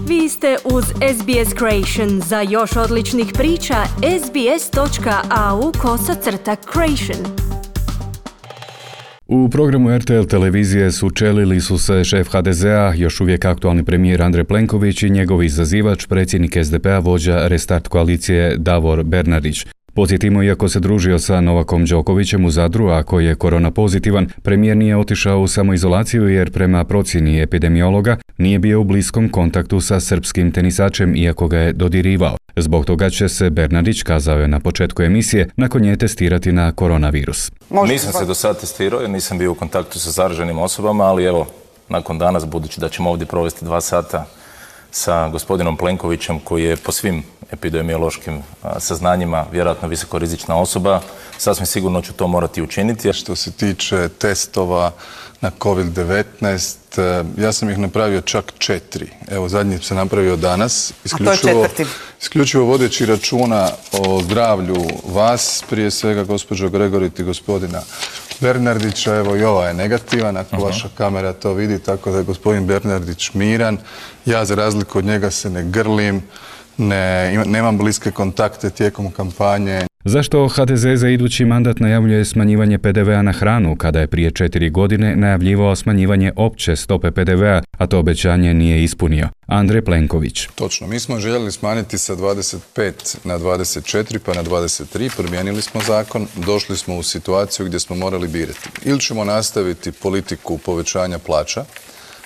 Vi ste uz SBS Creation. Za još odličnih priča, sbs.au/creation. U programu RTL televizije sučelili su se šef HDZ-a, još uvijek aktualni premijer Andrej Plenković i njegov izazivač, predsjednik SDP-a, vođa Restart koalicije Davor Bernardić. Podsjetimo, iako se družio sa Novakom Đokovićem u Zadru, a koji je korona pozitivan, premijer nije otišao u samoizolaciju jer prema procjeni epidemiologa nije bio u bliskom kontaktu sa srpskim tenisačem iako ga je dodirivao. Zbog toga će se Bernardić, kazao je na početku emisije, nakon nje testirati na koronavirus. Nisam se do sad testirao jer nisam bio u kontaktu sa zaraženim osobama, ali evo, nakon danas, budući da ćemo ovdje provesti 2 sata sa gospodinom Plenkovićem, koji je po svim epidemiološkim saznanjima vjerojatno visokorizična osoba, sasvim sigurno ću to morati učiniti. Što se tiče testova na COVID-19, ja sam ih napravio čak 4. Evo, zadnji sam napravio danas. Isključivo vodeći računa o zdravlju vas, prije svega gospođo Gregorit i gospodina Bernardića. Evo, i ova je negativan, ako vaša kamera to vidi, tako da je gospodin Bernardić miran. Ja, za razliku od njega, se ne grlim, nemam bliske kontakte tijekom kampanje. Zašto HDZ za idući mandat najavljuje smanjivanje PDV-a na hranu, kada je prije 4 godine najavljivao smanjivanje opće stope PDV-a, a to obećanje nije ispunio? Andrej Plenković. Točno, mi smo željeli smanjiti sa 25 na 24 pa na 23, promijenili smo zakon, došli smo u situaciju gdje smo morali birati. Ili ćemo nastaviti politiku povećanja plaća,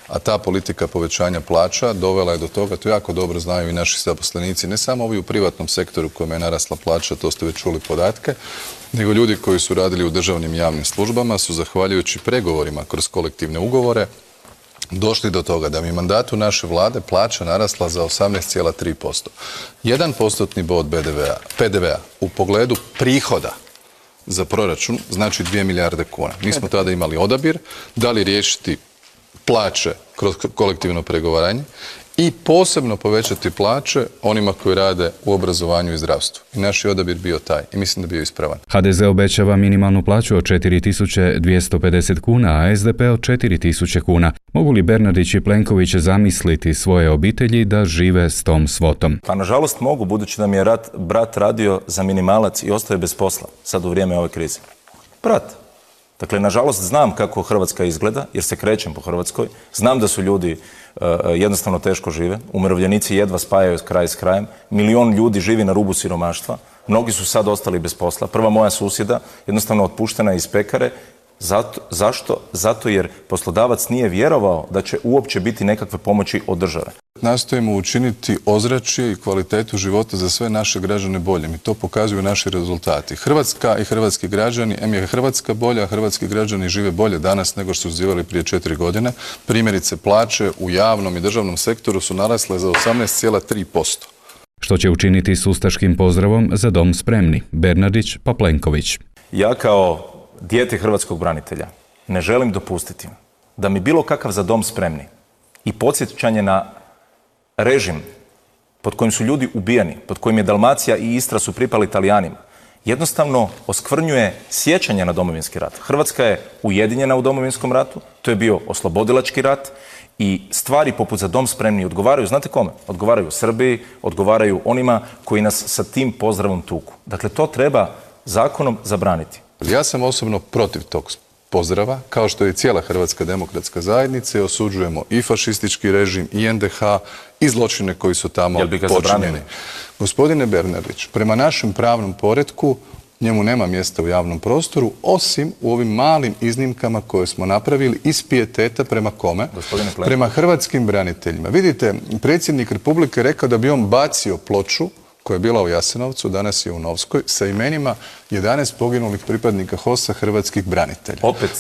a ta politika povećanja plaća dovela je do toga, to jako dobro znaju i naši zaposlenici, ne samo ovi u privatnom sektoru kojima je narasla plaća, to ste već čuli podatke, nego ljudi koji su radili u državnim javnim službama su, zahvaljujući pregovorima kroz kolektivne ugovore, došli do toga da mi mandatu naše vlade plaća narasla za 18,3%. 1% bod PDV-a u pogledu prihoda za proračun znači 2 milijarde kuna. Mi smo tada imali odabir, da li riješiti plaće kroz kolektivno pregovaranje i posebno povećati plaće onima koji rade u obrazovanju i zdravstvu. I naš je odabir bio taj i mislim da bio ispravan. HDZ obećava minimalnu plaću od 4.250 kuna, a SDP od 4.000 kuna. Mogu li Bernardić i Plenković zamisliti svoje obitelji da žive s tom svotom? Pa nažalost mogu, budući da mi je brat radio za minimalac i ostaje bez posla sad u vrijeme ove krize. Brat. Dakle, nažalost, znam kako Hrvatska izgleda, jer se krećem po Hrvatskoj. Znam da su ljudi jednostavno teško žive. Umirovljenici jedva spajaju kraj s krajem. Milion ljudi živi na rubu siromaštva. Mnogi su sad ostali bez posla. Prva moja susjeda jednostavno otpuštena iz pekare. Zašto? Zato jer poslodavac nije vjerovao da će uopće biti nekakve pomoći od države. Nastojimo učiniti ozračje i kvalitetu života za sve naše građane boljim i to pokazuju naši rezultati. Hrvatska i hrvatski građani, je Hrvatska bolja, a hrvatski građani žive bolje danas nego što su živjeli prije 4 godine. Primjerice, plaće u javnom i državnom sektoru su narasle za 18,3%. Što će učiniti s ustaškim pozdravom "Za dom spremni"? Bernardić pa Plenković. Ja kao dijete hrvatskog branitelja ne želim dopustiti da mi bilo kakav "Za dom spremni" i podsjećanje na režim pod kojim su ljudi ubijani, pod kojim je Dalmacija i Istra su pripali Talijanima, jednostavno oskvrnjuje sjećanje na Domovinski rat. Hrvatska je ujedinjena u Domovinskom ratu, to je bio oslobodilački rat i stvari poput "Za dom spremni" odgovaraju, znate kome? Odgovaraju Srbiji, odgovaraju onima koji nas sa tim pozdravom tuku. Dakle, to treba zakonom zabraniti. Ja sam osobno protiv tog pozdrava, kao što je i cijela Hrvatska demokratska zajednica, i osuđujemo i fašistički režim, i NDH, i zločine koji su tamo počinjeni. Gospodine Bernardić, prema našem pravnom poretku njemu nema mjesta u javnom prostoru, osim u ovim malim iznimkama koje smo napravili iz pijeteta prema kome? Prema hrvatskim braniteljima. Vidite, predsjednik Republike rekao da bi on bacio ploču koja je bila u Jasenovcu, danas je u Novskoj, sa imenima 11 poginulih pripadnika HOS-a hrvatskih branitelja.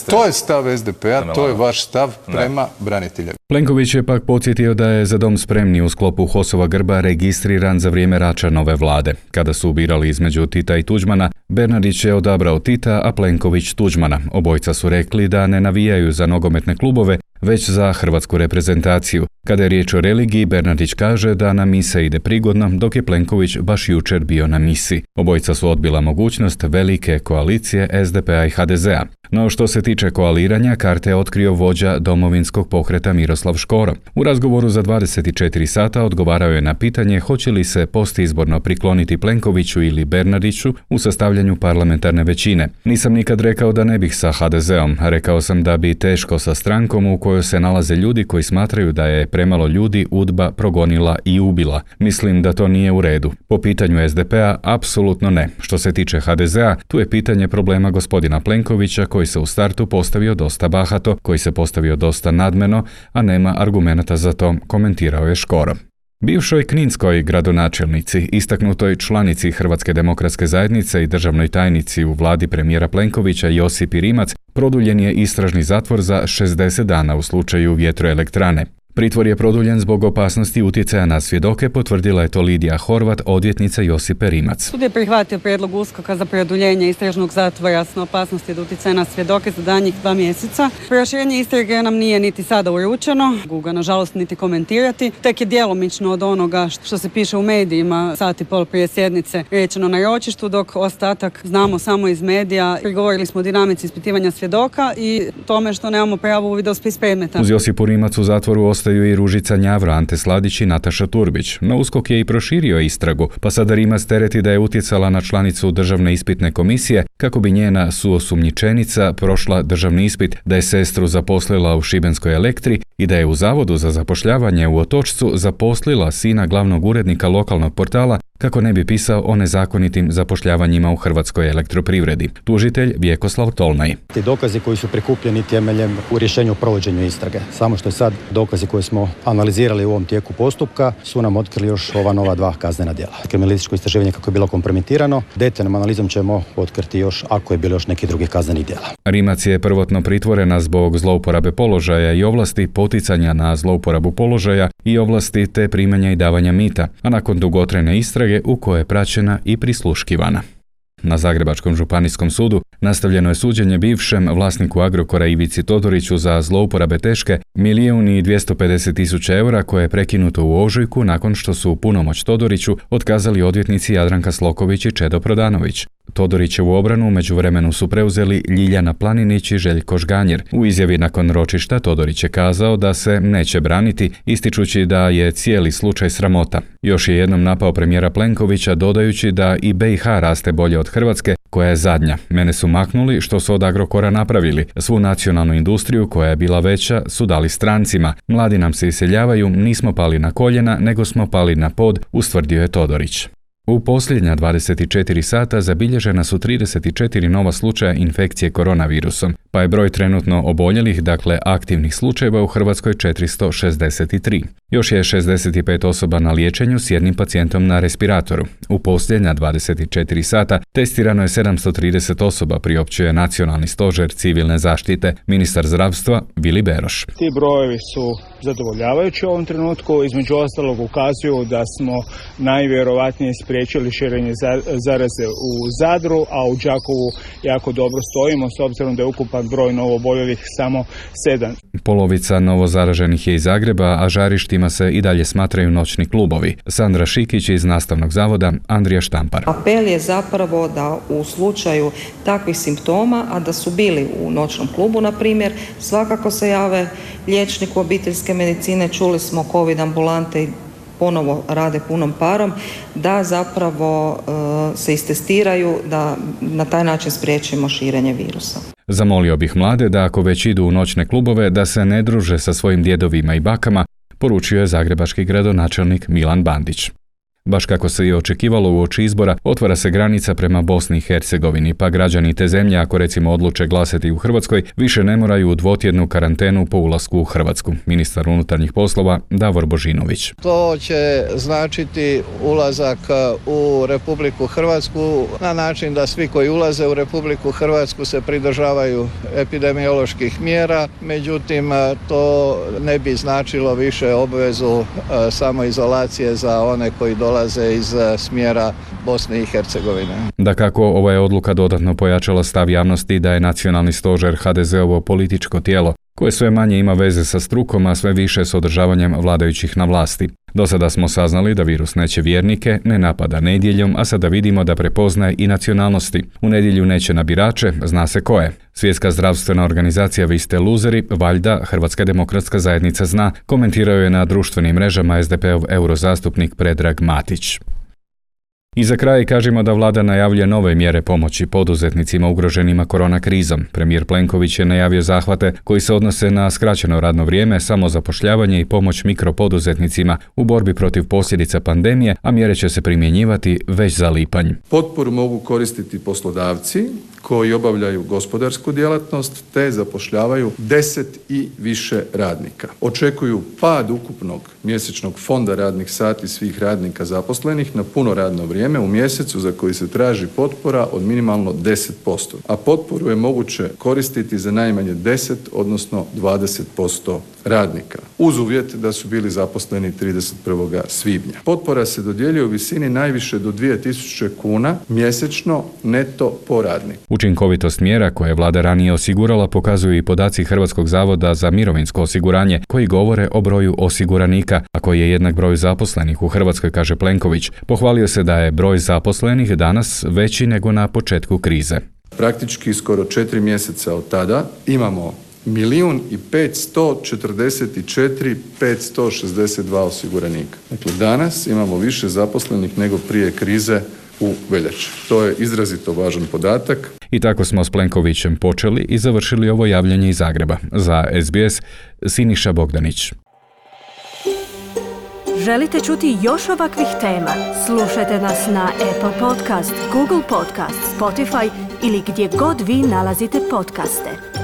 To je stav SDP-a, to je vaš stav prema braniteljima. Plenković je pak podsjetio da je "Za dom spremni" u sklopu HOS-ova grba registriran za vrijeme Račanove vlade. Kada su birali između Tita i Tuđmana, Bernardić je odabrao Tita, a Plenković Tuđmana. Obojica su rekli da ne navijaju za nogometne klubove, već za hrvatsku reprezentaciju. Kada je riječ o religiji, Bernardić kaže da na mise ide prigodno, dok je Plenković baš jučer bio na misi. Obojica su odbila mogućnost velike koalicije SDP-a i HDZ-a. No što se tiče koaliranja, karte je otkrio vođa Domovinskog pokreta Miroslav Škoro. U razgovoru za 24 sata odgovarao je na pitanje hoće li se postizborno prikloniti Plenkoviću ili Bernardiću u sastavljanju parlamentarne većine. Nisam nikad rekao da ne bih sa HDZ-om, rekao sam da bi teško sa strankom u kojoj se nalaze ljudi koji smatraju da je premalo ljudi UDBA progonila i ubila. Mislim da to nije u redu. Po pitanju SDP-a, apsolutno ne. Što se tiče HDZ-a, tu je pitanje problema gospodina Plenkovića koji se u startu postavio dosta bahato, koji se postavio dosta nadmeno, a nema argumenata za to, komentirao je Škoro. Bivšoj kninskoj gradonačelnici, istaknutoj članici Hrvatske demokratske zajednice i državnoj tajnici u vladi premijera Plenkovića Josipi Rimac produljen je istražni zatvor za 60 dana u slučaju vjetroelektrane. Pritvor je produljen zbog opasnosti utjecaja na svjedoke, potvrdila je to Lidija Horvat, odvjetnica Josipe Rimac. Sud je prihvatio prijedlog USKOK-a za produljenje istražnog zatvora s opasnosti od utjecaja na svjedoke za daljnjih 2 mjeseca. Proširenje istrage nam nije niti sada uručeno, mogu ga nažalost niti komentirati. Tek je djelomično od onoga što se piše u medijima sat i pol prije sjednice rečeno na ročištu, dok ostatak znamo samo iz medija. Prigovorili smo o dinamici ispitivanja svjedoka i tome što nemamo pravo uvida u spis predmeta. Uz Josipu Rimac u zatvoru ostaju i Ružica Njavro, Ante Sladić i Nataša Turbić. No USKOK je i proširio istragu, pa sada Rimac tereti da je utjecala na članicu Državne ispitne komisije kako bi njena suosumnjičenica prošla državni ispit, da je sestru zaposlila u Šibenskoj Elektri i da je u Zavodu za zapošljavanje u Otočcu zaposlila sina glavnog urednika lokalnog portala kako ne bi pisao o nezakonitim zapošljavanjima u Hrvatskoj elektroprivredi. Tužitelj Vjekoslav Tolnaj. Ti dokazi koji su prikupljeni temeljem u rješenju o provođenju istrage. Samo što je sad dokazi koje smo analizirali u ovom tijeku postupka su nam otkrili još ova nova 2 kaznena djela. Kriminalističko istraživanje kako je bilo kompromitirano, detaljnom analizom ćemo otkriti još ako je bilo još neki drugih kaznenih djela. Rimac je prvotno pritvorena zbog zlouporabe položaja i ovlasti, poticanja na zlouporabu položaja i ovlasti te primanja i davanja mita, a nakon dugotrajne istrage u kojoj je praćena i prisluškivana. Na Zagrebačkom županijskom sudu nastavljeno je suđenje bivšem vlasniku Agrokora Ivici Todoriću za zlouporabe teške 1.250.000 eura koje je prekinuto u ožujku nakon što su punomoć Todoriću otkazali odvjetnici Jadranka Sloković i Čedo Prodanović. Todorićevu obranu u međuvremenu su preuzeli Ljiljana Planinić i Željko Žganjer. U izjavi nakon ročišta Todorić je kazao da se neće braniti, ističući da je cijeli slučaj sramota. Još je jednom napao premijera Plenkovića dodajući da i BiH raste bolje od Hrvatske, koja je zadnja. Mene su maknuli što su od Agrokora napravili. Svu nacionalnu industriju koja je bila veća su dali strancima. Mladi nam se iseljavaju, nismo pali na koljena, nego smo pali na pod, ustvrdio je Todorić. U posljednja 24 sata zabilježena su 34 nova slučaja infekcije koronavirusom, pa je broj trenutno oboljelih, dakle aktivnih slučajeva u Hrvatskoj 463. Još je 65 osoba na liječenju s jednim pacijentom na respiratoru. U posljednja 24 sata testirano je 730 osoba, priopćuje Nacionalni stožer civilne zaštite, ministar zdravstva Vili Beroš. Ti brojevi su zadovoljavajući u ovom trenutku, između ostalog ukazuju da smo najvjerovatnije spriječili širenje zaraze u Zadru, a u Đakovu jako dobro stojimo s obzirom da je ukupan broj novooboljelih samo 7. Polovica novozaraženih je iz Zagreba, a žarištima se i dalje smatraju noćni klubovi. Sandra Šikić iz Nastavnog zavoda, Andrija Štampar. Apel je zapravo da u slučaju takvih simptoma, a da su bili u noćnom klubu, na primjer, svakako se jave liječniku obiteljske medicine, čuli smo COVID ambulante i ponovo rade punom parom, da zapravo se istestiraju, da na taj način spriječimo širenje virusa. Zamolio bih mlade da ako već idu u noćne klubove, da se ne druže sa svojim djedovima i bakama, poručio je zagrebački gradonačelnik Milan Bandić. Baš kako se i očekivalo uoči izbora, otvara se granica prema Bosni i Hercegovini, pa građani te zemlje, ako recimo odluče glasati u Hrvatskoj, više ne moraju u dvotjednu karantenu po ulasku u Hrvatsku. Ministar unutarnjih poslova Davor Božinović. To će značiti ulazak u Republiku Hrvatsku na način da svi koji ulaze u Republiku Hrvatsku se pridržavaju epidemioloških mjera, međutim to ne bi značilo više obvezu samoizolacije za one koji dolaze iz smjera Bosne i Hercegovine. Dakako, ova je odluka dodatno pojačala stav javnosti da je Nacionalni stožer HDZ-ovo političko tijelo, koje sve manje ima veze sa strukom, a sve više s održavanjem vladajućih na vlasti. Do sada smo saznali da virus neće vjernike, ne napada nedjeljom, a sada vidimo da prepoznaje i nacionalnosti. U nedjelju neće na birače, zna se ko je. Svjetska zdravstvena organizacija Vi ste luzeri, valjda Hrvatska demokratska zajednica zna, komentirao je na društvenim mrežama SDP-ov eurozastupnik Predrag Matić. I za kraj kažemo da vlada najavljuje nove mjere pomoći poduzetnicima ugroženima korona krizom. Premijer Plenković je najavio zahvate koji se odnose na skraćeno radno vrijeme, samozapošljavanje i pomoć mikropoduzetnicima u borbi protiv posljedica pandemije, a mjere će se primjenjivati već za lipanj. Potporu mogu koristiti poslodavci koji obavljaju gospodarsku djelatnost te zapošljavaju 10 i više radnika. Očekuju pad ukupnog mjesečnog fonda radnih sati svih radnika zaposlenih na puno radno vrijeme u mjesecu za koji se traži potpora od minimalno 10%, a potporu je moguće koristiti za najmanje 10, odnosno 20% radnika, uz uvjet da su bili zaposleni 31. svibnja. Potpora se dodjeljuje u visini najviše do 2000 kuna mjesečno neto po radniku. Učinkovitost mjera koje je vlada ranije osigurala pokazuju i podaci Hrvatskog zavoda za mirovinsko osiguranje koji govore o broju osiguranika, a koji je jednak broju zaposlenih u Hrvatskoj, kaže Plenković. Pohvalio se da je broj zaposlenih danas veći nego na početku krize. Praktički skoro 4 mjeseca od tada imamo 1.544.562 osiguranika. Dakle, danas imamo više zaposlenih nego prije krize u veljači. To je izrazito važan podatak. I tako smo s Plenkovićem počeli i završili ovo javljanje iz Zagreba. Za SBS, Siniša Bogdanić. Želite čuti još ovakvih tema? Slušajte nas na Apple Podcast, Google Podcast, Spotify ili gdje god vi nalazite podcaste.